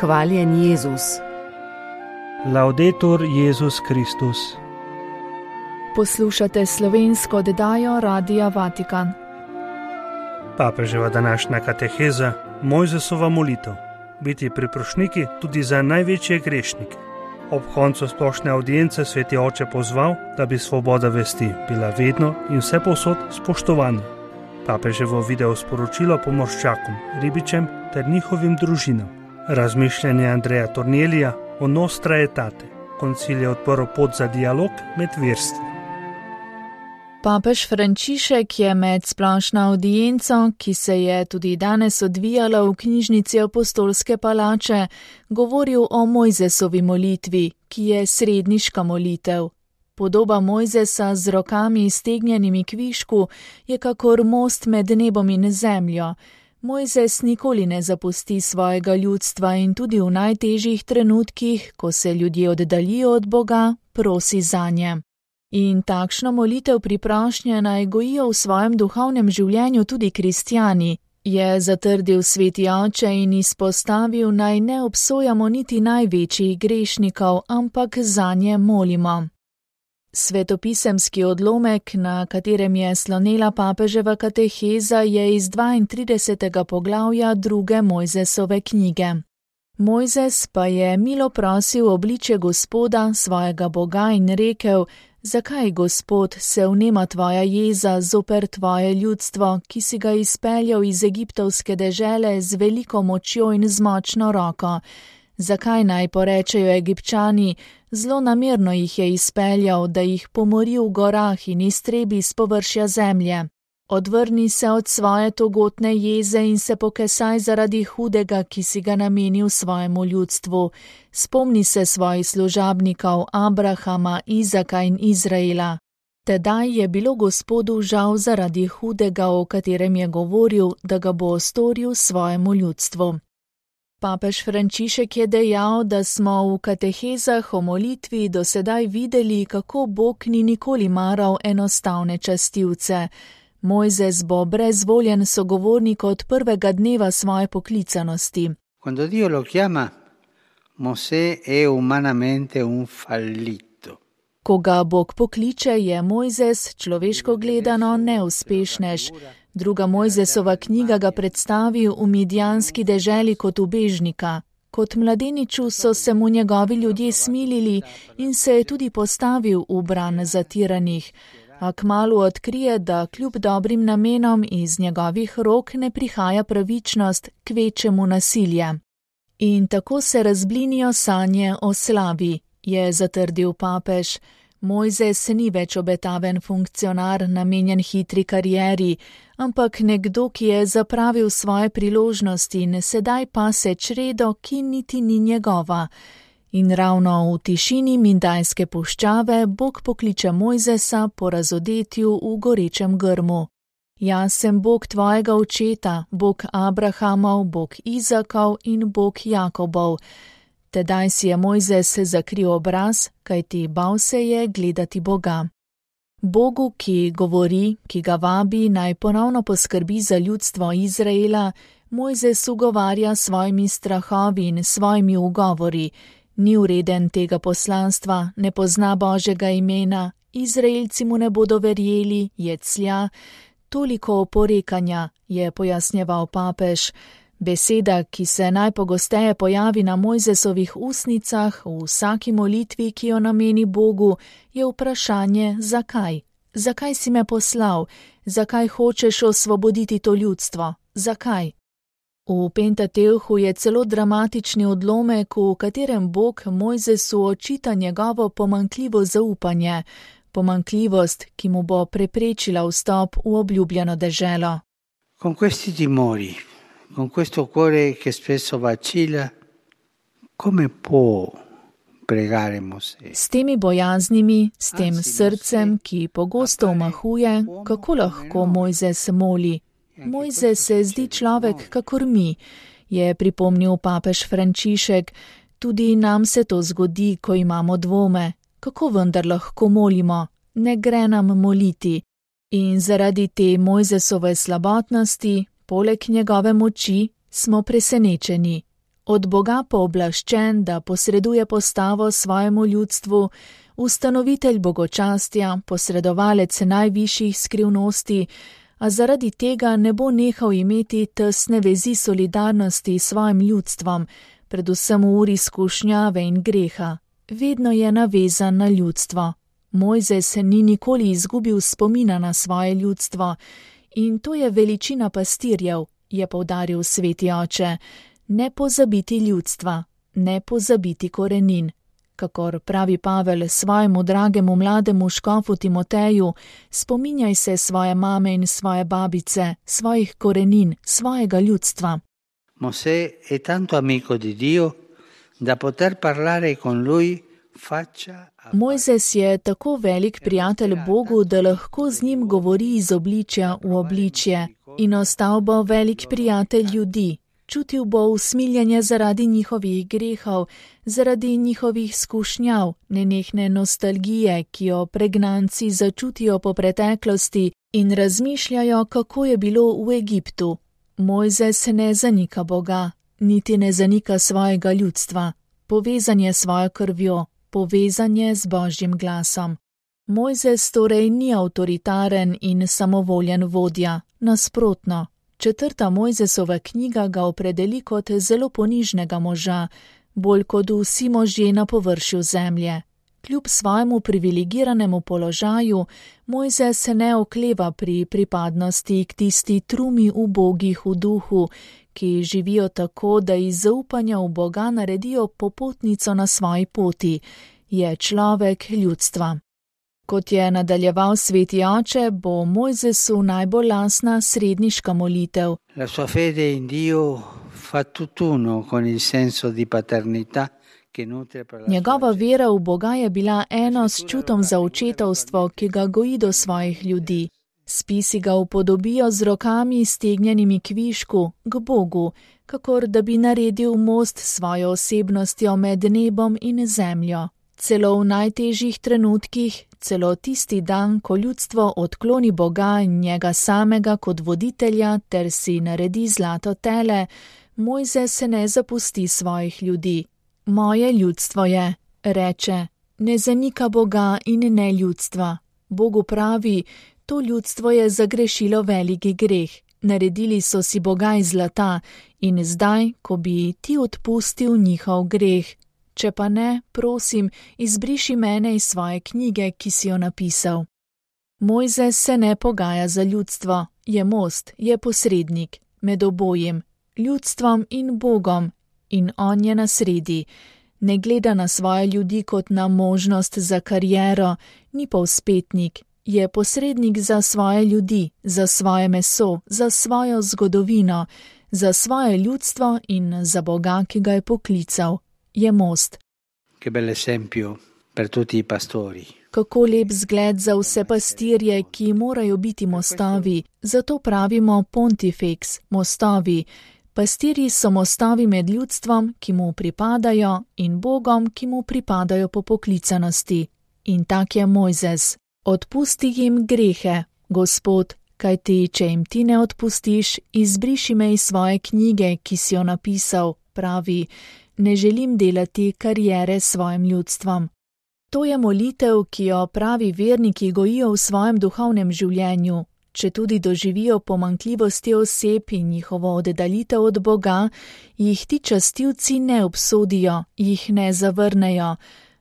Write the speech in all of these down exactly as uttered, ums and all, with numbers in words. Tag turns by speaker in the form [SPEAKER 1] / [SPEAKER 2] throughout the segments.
[SPEAKER 1] Hvaljen Jezus.
[SPEAKER 2] Laudetur Jezus Kristus.
[SPEAKER 3] Poslušate slovensko oddajo Radia Vatikan.
[SPEAKER 2] Papeževa današnja kateheza, Mojzesova molitev. Biti priprošniki tudi za največje grešnike. Ob koncu splošne avdience sveti oče pozval, da bi svoboda vesti bila vedno in vsepovsod spoštovana. Papeževo video sporočilo pomorščakom, ribičem ter njihovim družinam. Razmišljanje Andreja Tornelija o Nostra Aetate. Koncil je odprl pot za dialog med verstvi.
[SPEAKER 3] Papež Frančišek je med splošno avdienco, ki se je tudi danes odvijala v knjižnici Apostolske palače, govoril o Mojzesovi molitvi, ki je sredniška molitev. Podoba Mojzesa z rokami iztegnjenimi kvišku je kakor most med nebom in zemljo. Mojzes nikoli ne zapusti svojega ljudstva in tudi v najtežjih trenutkih, ko se ljudje oddaljijo od Boga, prosi zanje. In takšno molitev priprošnje naj gojijo v svojem duhovnem življenju tudi kristjani, je zatrdil sveti oče in izpostavil, naj ne obsojamo niti največjih grešnikov, ampak zanje molimo. Svetopisemski odlomek, na katerem je slonela papeževa kateheza, je iz dvaintridesetega poglavja druge Mojzesove knjige. Mojzes pa je milo prosil obličje Gospoda, svojega Boga, in rekel: Zakaj, Gospod, se vnema tvoja jeza zoper tvoje ljudstvo, ki si ga izpeljal iz egiptovske dežele z veliko močjo in z močno roko? Zakaj naj porečejo Egipčani, zlonamerno jih je izpeljal, da jih pomori v gorah in iztrebi s površja zemlje? Odvrni se od svoje togotne jeze in se pokesaj zaradi hudega, ki si ga namenil svojemu ljudstvu. Spomni se svojih služabnikov Abrahama, Izaka in Izraela. Tedaj je bilo Gospodu žal zaradi hudega, o katerem je govoril, da ga bo storil svojemu ljudstvu. Papež Frančišek je dejal, da smo v katehezah o molitvi do sedaj videli, kako Bog ni nikoli maral enostavne častilce. Mojzes bo brezvoljen sogovornik od prvega dneva svoje poklicanosti.
[SPEAKER 4] Quando Dio lo chiama, Mosè è umanamente un fallito.
[SPEAKER 3] Ko ga Bog pokliče, je Mojzes človeško gledano neuspešnež. Druga Mojzesova knjiga ga predstavi v midjanski deželi kot ubežnika. Kot mladeniču so se mu njegovi ljudje smilili in se je tudi postavil v bran zatiranih. A kmalu odkrije, da kljub dobrim namenom iz njegovih rok ne prihaja pravičnost, kvečemu nasilje. In tako se razblinijo sanje o slavi, je zatrdil papež. Mojzes ni več obetaven funkcionar, namenjen hitri karieri, ampak nekdo, ki je zapravil svoje priložnosti in sedaj pase čredo, ki niti ni njegova. In ravno v tišini Mindajske puščave Bog pokliče Mojzesa po razodetju v gorečem grmu. Jaz sem Bog tvojega očeta, Bog Abrahamov, Bog Izakov in Bog Jakobov. Tedaj si je Mojzes zakril obraz, kajti bal se je gledati Boga. Bogu, ki govori, ki ga vabi, naj ponovno poskrbi za ljudstvo Izraela, Mojzes ugovarja svojimi strahovi in svojimi ugovori. Ni vreden tega poslanstva, ne pozna Božjega imena, Izraelci mu ne bodo verjeli, je clja. Toliko oporekanja, je pojasnjeval papež. Beseda, ki se najpogosteje pojavi na Mojzesovih ustnicah v vsaki molitvi, ki jo nameni Bogu, je vprašanje zakaj. Zakaj si me poslal? Zakaj hočeš osvoboditi to ljudstvo? Zakaj? V Pentateuhu je celo dramatični odlomek, v katerem Bog Mojzesu očita njegovo pomanjkljivo zaupanje, pomanjkljivost, ki mu bo preprečila vstop v obljubljeno deželo.
[SPEAKER 4] Con questi timori, con questo cuore che spesso vacilla, come può pregare Mosè?
[SPEAKER 3] S temi bojaznimi, s tem srcem, ki pogosto omahuje, kako lahko Mojzes moli? Mojzes se zdi človek kakor mi, je pripomnil papež Frančišek. Tudi nam se to zgodi, ko imamo dvome. Kako vendar lahko molimo? Ne gre nam moliti. In zaradi te Mojzesove slabotnosti, poleg njegove moči, smo presenečeni. od Boga pooblaščen, da posreduje postavo svojemu ljudstvu, ustanovitelj bogočastja, posredovalec najvišjih skrivnosti, a zaradi tega ne bo nehal imeti tesne vezi solidarnosti s svojim ljudstvom, predvsem v uri skušnjave in greha. Vedno je navezan na ljudstvo. Mojzes ni nikoli izgubil spomina na svoje ljudstvo in to je veličina pastirjev, je poudaril sveti oče. Ne pozabiti ljudstva, ne pozabiti korenin. Kakor pravi Pavel svojemu dragemu mlademu škofu Timoteju, spominjaj se svoje mame in svoje babice, svojih korenin, svojega ljudstva.
[SPEAKER 4] Mosè è tanto amico di Dio, da poter parlare con lui faccia a...
[SPEAKER 3] Mojzes je tako velik prijatelj Bogu, da lahko z njim govori iz obličja v obličje in ostal bo velik prijatelj ljudi. Čutil bo usmiljenje zaradi njihovih grehov, zaradi njihovih skušnjav, nenehne nostalgije, ki jo pregnanci začutijo po preteklosti in razmišljajo, kako je bilo v Egiptu. Mojzes ne zanika Boga, niti ne zanika svojega ljudstva. Povezan je s svojo krvjo, povezan je z Božjim glasom. Mojzes torej ni avtoritaren in samovoljen vodja, nasprotno. Četrta Mojzesova knjiga ga opredeli kot zelo ponižnega moža, bolj kot vsi možje na površju zemlje. Kljub svojemu privilegiranemu položaju, Mojzes ne okleva pri pripadnosti k tisti trumi ubogih v duhu, ki živijo tako, da iz zaupanja v Boga naredijo popotnico na svoji poti. Je človek ljudstva. Kot je nadaljeval sveti oče, bo Mojzesu najbolj lasna sredniška molitev.
[SPEAKER 4] La sua fede in Dio fa tutt'uno con il senso di paternità che nutre per la
[SPEAKER 3] Njegova vera v Boga je bila eno s čutom za očetovstvo, ki ga goji do svojih ljudi. Spisi ga upodobijo z rokami stegnjenimi k višku, k Bogu, kakor da bi naredil most s svojo osebnostjo med nebom in zemljo. Celo v najtežjih trenutkih, celo tisti dan, ko ljudstvo odkloni Boga in njega samega kot voditelja ter si naredi zlato tele, Mojzes se ne zapusti svojih ljudi. Moje ljudstvo je, reče, ne zanika Boga in ne ljudstva. Bogu pravi, to ljudstvo je zagrešilo veliki greh, naredili so si Boga iz zlata in zdaj, ko bi ti odpustil njihov greh, če pa ne, prosim, izbriši mene iz svoje knjige, ki si jo napisal. Mojzes se ne pogaja za ljudstvo, je most, je posrednik, med obojim, ljudstvom in Bogom, in on je na sredi. Ne gleda na svoje ljudi kot na možnost za kariero, ni povspetnik, je posrednik za svoje ljudi, za svoje meso, za svojo zgodovino, za svoje ljudstvo in za Boga, ki ga je poklical. Je most.
[SPEAKER 4] Che bel esempio per tutti i pastori.
[SPEAKER 3] Kako lep zgled za vse pastirje, ki morajo biti mostovi, zato pravimo pontifex, mostovi. Pastirji so mostovi med ljudstvom, ki mu pripadajo, in Bogom, ki mu pripadajo po poklicanosti. In tak je Mojzes. Odpusti jim grehe, Gospod, kajti če jim ti ne odpustiš, izbriši me iz svoje knjige, ki si jo napisal, pravi, ne želim delati kariere s svojim ljudstvom. To je molitev, ki jo pravi verniki gojijo v svojem duhovnem življenju. Če tudi doživijo pomanjkljivosti oseb in njihovo oddaljitev od Boga, jih ti častilci ne obsodijo, jih ne zavrnejo.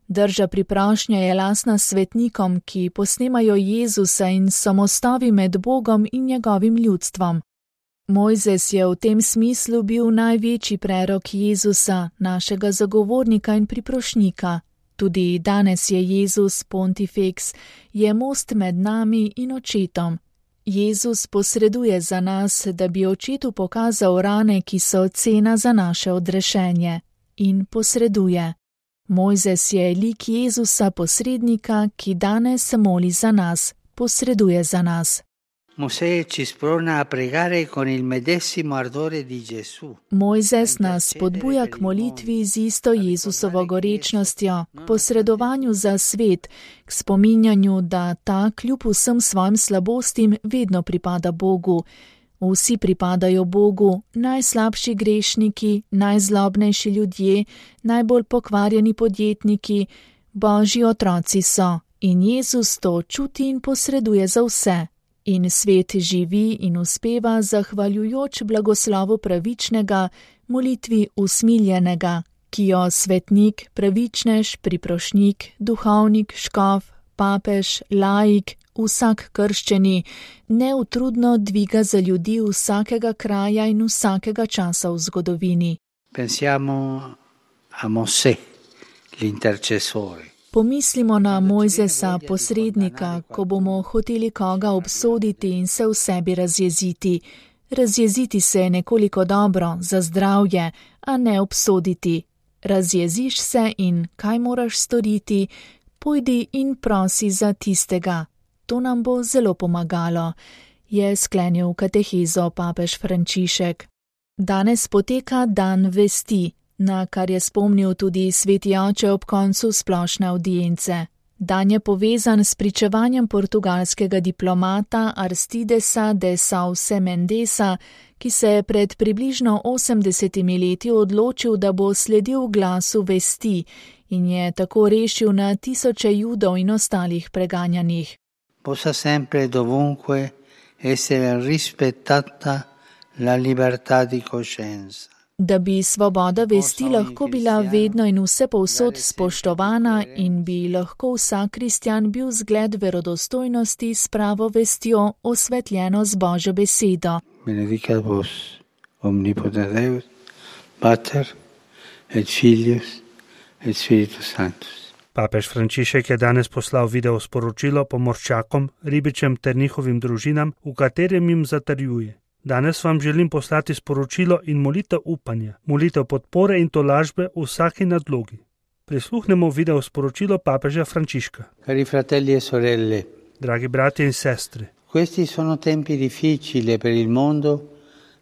[SPEAKER 3] Drža priprošnja je lasna svetnikom, ki posnemajo Jezusa in samostavi med Bogom in njegovim ljudstvom. Mojzes je v tem smislu bil največji prerok Jezusa, našega zagovornika in priprošnika. Tudi danes je Jezus pontifex, je most med nami in očetom. Jezus posreduje za nas, da bi očetu pokazal rane, ki so cena za naše odrešenje. In posreduje. Mojzes je lik Jezusa posrednika, ki danes moli za nas, posreduje za nas.
[SPEAKER 4] Mosè ci sprona a pregare con il medesimo ardore di Gesù.
[SPEAKER 3] Mojzes nas spodbuja k molitvi z isto Jezusovo gorečnostjo, k posredovanju za svet, k spominjanju, da ta kljub vsem svojim slabostim vedno pripada Bogu. Vsi pripadajo Bogu, najslabši grešniki, najzlobnejši ljudje, najbolj pokvarjeni podjetniki, Božji otroci so in Jezus to čuti in posreduje za vse. In svet živi in uspeva zahvaljujoč blagoslovu pravičnega, molitvi usmiljenega, ki jo svetnik, pravičnež, priprošnik, duhovnik, škof, papež, laik, vsak krščeni, neutrudno dviga za ljudi vsakega kraja in vsakega časa v zgodovini.
[SPEAKER 4] Pensiamo a Mosè, l'intercessore.
[SPEAKER 3] Pomislimo na Mojzesa, posrednika, ko bomo hoteli koga obsoditi in se v sebi razjeziti. Razjeziti se je nekoliko dobro, za zdravje, a ne obsoditi. Razjeziš se in kaj moraš storiti? Pojdi in prosi za tistega. To nam bo zelo pomagalo, je sklenil katehezo papež Frančišek. Danes poteka dan vesti, na kar je spomnil tudi sveti oče ob koncu splošne avdience. Dan je povezan s pričevanjem portugalskega diplomata Aristidesa de Sauce Mendesa, ki se je pred približno osemdesetimi leti odločil, da bo sledil glasu vesti in je tako rešil na tisoče Judov in ostalih preganjanih.
[SPEAKER 4] Possa sempre dovunque essere rispettata la libertà di coscienza.
[SPEAKER 3] Da bi svoboda vesti lahko bila vedno in vse povsod spoštovana in bi lahko vsak kristjan bil zgled verodostojnosti s pravo vestjo osvetljeno z Božjo besedo.
[SPEAKER 4] Benedicat vos, omnipotens Deus, Pater et Filius et Spiritus Sanctus.
[SPEAKER 2] Papež Frančišek je danes poslal video sporočilo pomorščakom, ribičem ter njihovim družinam, v katerem jim zatrjuje: danes vam želim poslati sporočilo in molitev upanja, molitev podpore in tolažbe v vsaki nadlogi. Prisluhnemo video sporočilo papeža Frančiška.
[SPEAKER 4] Cari fratelli e sorelle,
[SPEAKER 2] dragi bratje in sestre,
[SPEAKER 4] questi sono tempi difficili per il mondo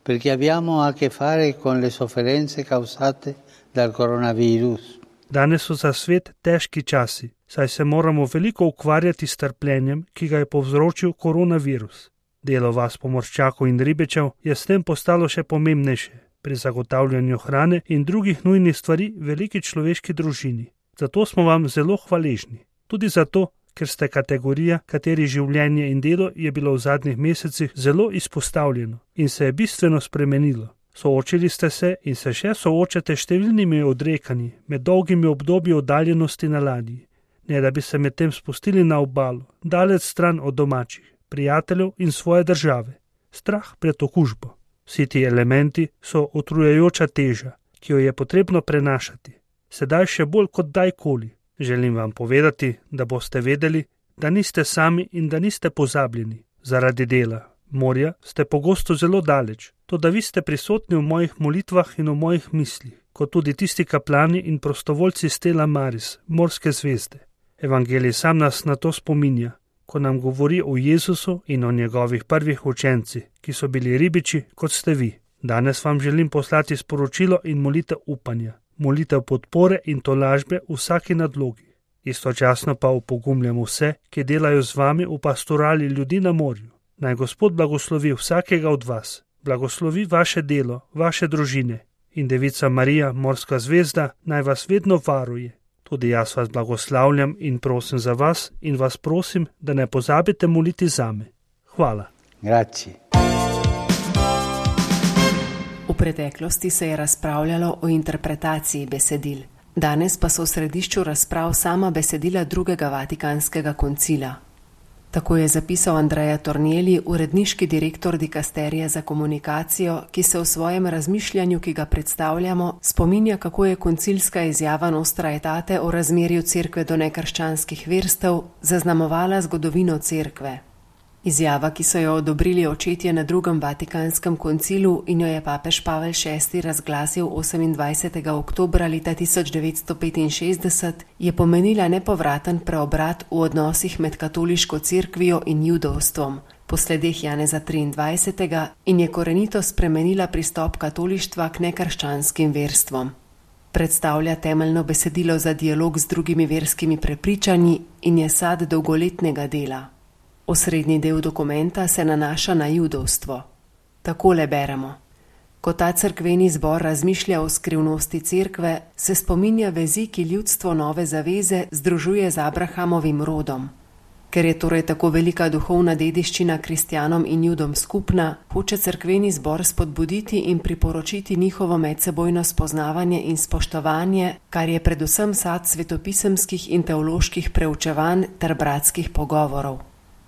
[SPEAKER 4] perché abbiamo a che fare con le sofferenze causate dal coronavirus.
[SPEAKER 2] Danes so za svet težki časi, saj se moramo veliko ukvarjati s trpljenjem, ki ga je povzročil koronavirus. Delo vas pomorščakov in ribičev je s tem postalo še pomembnejše pri zagotavljanju hrane in drugih nujnih stvari veliki človeški družini. Zato smo vam zelo hvaležni. Tudi zato, ker ste kategorija, kateri življenje in delo je bilo v zadnjih mesecih zelo izpostavljeno in se je bistveno spremenilo. Soočili ste se in se še soočate številnimi odrekanji med dolgimi obdobji oddaljenosti na ladji, ne da bi se med tem spustili na obalo, daleč stran od domačih, prijateljev in svoje države. Strah pred okužbo. Vsi ti elementi so utrujajoča teža, ki jo je potrebno prenašati. Sedaj še bolj kot dajkoli. Želim vam povedati, da boste vedeli, da niste sami in da niste pozabljeni. Zaradi dela, morja, ste pogosto zelo daleč, toda vi ste prisotni v mojih molitvah in v mojih mislih, kot tudi tisti kaplani in prostovoljci Stella Maris, morske zvezde. Evangelij sam nas na to spominja, ko nam govori o Jezusu in o njegovih prvih učencih, ki so bili ribiči, kot ste vi. Danes vam želim poslati sporočilo in molitev upanja, molitev podpore in tolažbe v vsaki nadlogi. Istočasno pa opogumljam vse, ki delajo z vami v pastorali ljudi na morju. Naj Gospod blagoslovi vsakega od vas, blagoslovi vaše delo, vaše družine in Devica Marija, morska zvezda, naj vas vedno varuje. Tudi jaz vas blagoslavljam in prosim za vas in vas prosim, da ne pozabite moliti zame. Hvala.
[SPEAKER 4] Grazie.
[SPEAKER 1] V preteklosti se je razpravljalo o interpretaciji besedil. Danes pa so v središču razprav sama besedila drugega Vatikanskega koncila. Tako je zapisal Andrea Tornielli, uredniški direktor dikasterije za komunikacijo, ki se v svojem razmišljanju, ki ga predstavljamo, spominja, kako je koncilska izjava Nostra Aetate o razmerju cerkve do nekrščanskih verstev zaznamovala zgodovino cerkve. Izjava, ki so jo odobrili očetje na drugem Vatikanskem koncilu in jo je papež Pavel šesti razglasil osemindvajsetega oktobra leta tisoč devetsto petinšestdeset, je pomenila nepovraten preobrat v odnosih med katoliško cerkvijo in judovstvom, po sledeh Janeza triindvajsetega in je korenito spremenila pristop katolištva k nekrščanskim verstvom. Predstavlja temeljno besedilo za dialog z drugimi verskimi prepričanji in je sad dolgoletnega dela. Osrednji del dokumenta se nanaša na judovstvo. Takole beremo. Ko ta cerkveni zbor razmišlja o skrivnosti cerkve, se spominja vezi, ki ljudstvo nove zaveze združuje z Abrahamovim rodom. Ker je torej tako velika duhovna dediščina kristjanom in judom skupna, hoče cerkveni zbor spodbuditi in priporočiti njihovo medsebojno spoznavanje in spoštovanje, kar je predvsem sad svetopisemskih in teoloških preučevanj ter bratskih pogovorov.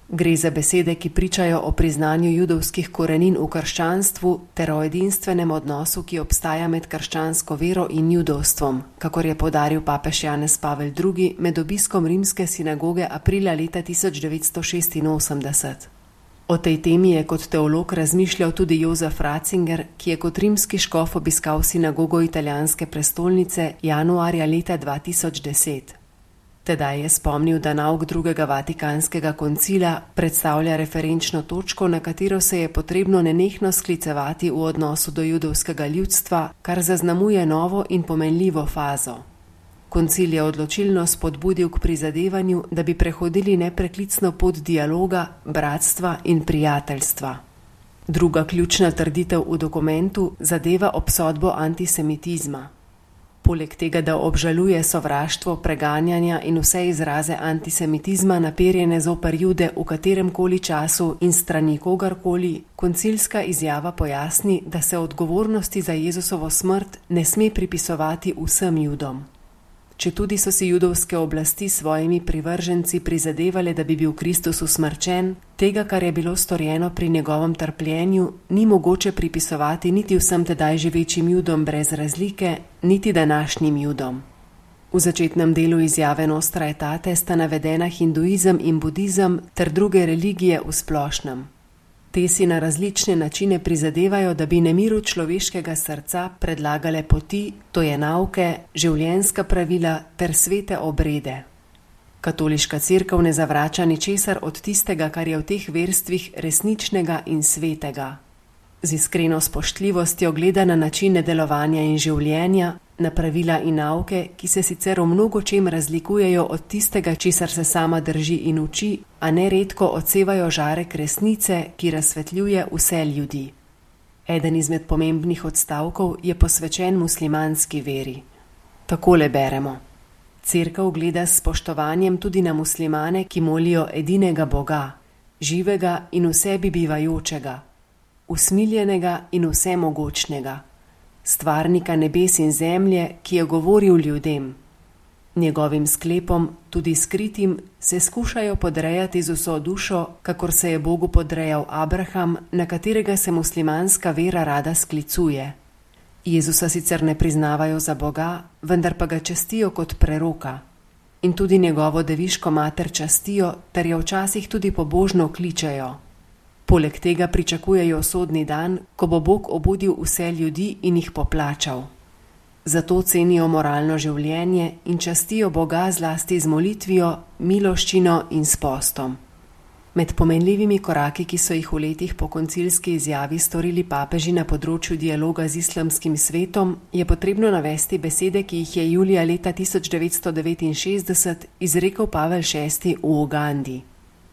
[SPEAKER 1] Gre za besede, ki pričajo o priznanju judovskih korenin v krščanstvu ter o edinstvenem odnosu, ki obstaja med krščansko vero in judovstvom, kakor je poudaril papež Janez Pavel drugi med obiskom rimske sinagoge aprila leta tisoč devetsto šestinosemdeset. O tej temi je kot teolog razmišljal tudi Jozef Ratzinger, ki je kot rimski škof obiskal sinagogo italijanske prestolnice januarja leta dva tisoč deset. Tedaj je spomnil, da nauk drugega vatikanskega koncila predstavlja referenčno točko, na katero se je potrebno nenehno sklicevati v odnosu do judovskega ljudstva, kar zaznamuje novo in pomenljivo fazo. Koncil je odločilno spodbudil k prizadevanju, da bi prehodili nepreklicno pot dialoga, bratstva in prijateljstva. Druga ključna trditev v dokumentu zadeva obsodbo antisemitizma. Poleg tega, da obžaluje sovraštvo, preganjanja in vse izraze antisemitizma naperjene zoper Jude v katerem koli času in strani kogarkoli, koncilska izjava pojasni, da se odgovornosti za Jezusovo smrt ne sme pripisovati vsem Judom. Četudi so si judovske oblasti svojimi privrženci prizadevale, da bi bil Kristus usmrčen, tega, kar je bilo storjeno pri njegovem trpljenju, ni mogoče pripisovati niti vsem tedaj živečim Judom brez razlike, niti današnjim Judom. V začetnem delu izjave Nostra Aetate sta navedena hinduizem in budizem ter druge religije v splošnem. Te si na različne načine prizadevajo, da bi nemiru človeškega srca predlagale poti, to je nauke, življenjska pravila ter svete obrede. Katoliška cerkev ne zavrača ničesar od tistega, kar je v teh verstvih resničnega in svetega. Z iskreno spoštljivostjo gleda na načine delovanja in življenja, na pravila in nauke, ki se sicer v mnogo čem razlikujejo od tistega, česar se sama drži in uči, a neredko odsevajo žarek resnice, ki razsvetljuje vse ljudi. Eden izmed pomembnih odstavkov je posvečen muslimanski veri. Takole beremo. Cerkev gleda s spoštovanjem tudi na muslimane, ki molijo edinega Boga, živega in v sebi bivajočega, usmiljenega in vsemogočnega, stvarnika nebes in zemlje, ki je govoril ljudem. Njegovim sklepom, tudi skritim, se skušajo podrejati z vso dušo, kakor se je Bogu podrejal Abraham, na katerega se muslimanska vera rada sklicuje. Jezusa sicer ne priznavajo za Boga, vendar pa ga častijo kot preroka. In tudi njegovo deviško mater častijo, ter jo včasih tudi pobožno kličejo. Poleg tega pričakujejo sodni dan, ko bo Bog obudil vse ljudi in jih poplačal. Zato cenijo moralno življenje in častijo Boga zlasti z molitvijo, miloščino in s postom. Med pomenljivimi koraki, ki so jih v letih po koncilski izjavi storili papeži na področju dialoga z islamskim svetom, je potrebno navesti besede, ki jih je julija leta tisoč devetsto devetinšestdeset izrekel Pavel šesti v Ugandi.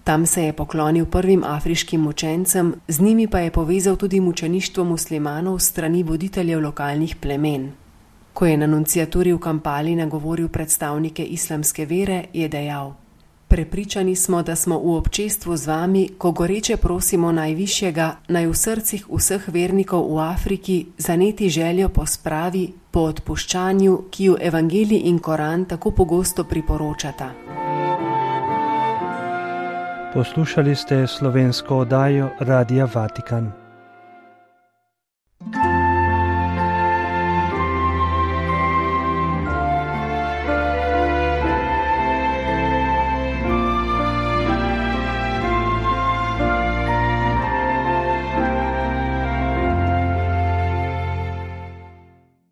[SPEAKER 1] Tam se je poklonil prvim afriškim mučencem, z njimi pa je povezal tudi mučeništvo muslimanov strani voditeljev lokalnih plemen. Ko je na nunciaturi v Kampali nagovoril predstavnike islamske vere, je dejal: Prepričani smo, da smo v občestvu z vami, ko goreče prosimo Najvišjega, naj v srcih vseh vernikov v Afriki zaneti željo po spravi, po odpuščanju, ki ju Evangelij in Koran tako pogosto priporočata.
[SPEAKER 2] Poslušali ste slovensko oddajo Radia Vatikan.